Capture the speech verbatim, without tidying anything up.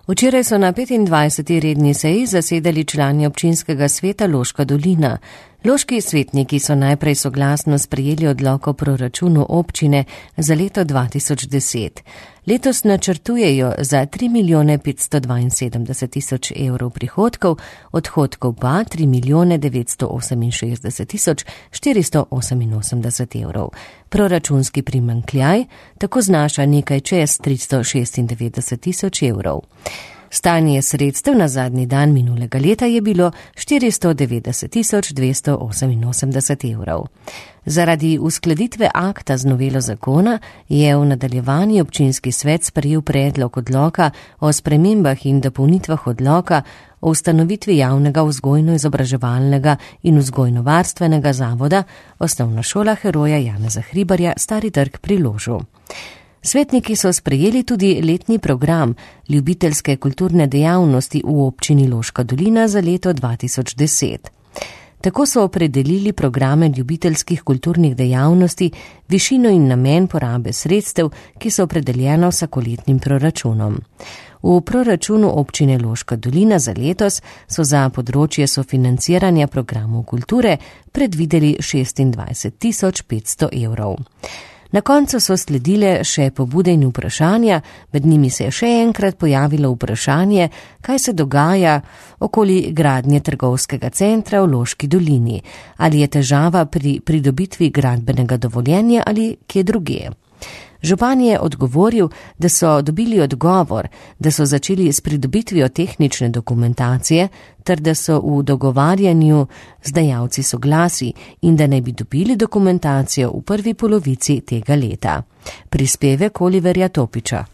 Včeraj so na petindvajseti redni seji zasedali člani občinskega sveta Loška dolina. Loški svetniki so najprej soglasno sprejeli odlok o proračunu občine za leto dva tisoč deset. Letos načrtujejo za tri milijone petsto dvainsedemdeset tisoč evrov prihodkov, odhodkov pa tri milijone devetsto oseminšestdeset tisoč štiristo oseminosemdeset evrov. Proračunski primanjkljaj tako znaša nekaj čez tristo šestindevetdeset tisoč evrov. Stanje sredstev na zadnji dan minulega leta je bilo štiristo devetdeset tisoč dvesto oseminosemdeset evrov. Zaradi uskladitve akta z novelo zakona je v nadaljevanju občinski svet sprejel predlog odloka o spremembah in dopolnitvah odloka o ustanovitvi javnega vzgojno-izobraževalnega in vzgojno-varstvenega zavoda Osnovna šola heroja Janeza Hribarja Stari trg pri Ložu. Svetniki so sprejeli tudi letni program ljubiteljske kulturne dejavnosti v občini Loška dolina za leto dva tisoč deset. Tako so opredelili programe ljubiteljskih kulturnih dejavnosti, višino in namen porabe sredstev, ki so opredeljena vsakoletnim proračunom. V proračunu občine Loška dolina za letos so za področje sofinanciranja programov kulture predvideli šestindvajset tisoč petsto evrov. Na koncu so sledile še pobude in vprašanja, med njimi se je še enkrat pojavilo vprašanje, kaj se dogaja okoli gradnje trgovskega centra v Loški dolini, ali je težava pri pridobitvi gradbenega dovoljenja ali kje drugje. Župan je odgovoril, da so dobili odgovor, da so začeli s pridobitvijo tehnične dokumentacije, ter da so v dogovarjanju z dajalci soglasij in da naj bi dobili dokumentacijo v prvi polovici tega leta. Prispevek Oliverja Topiča.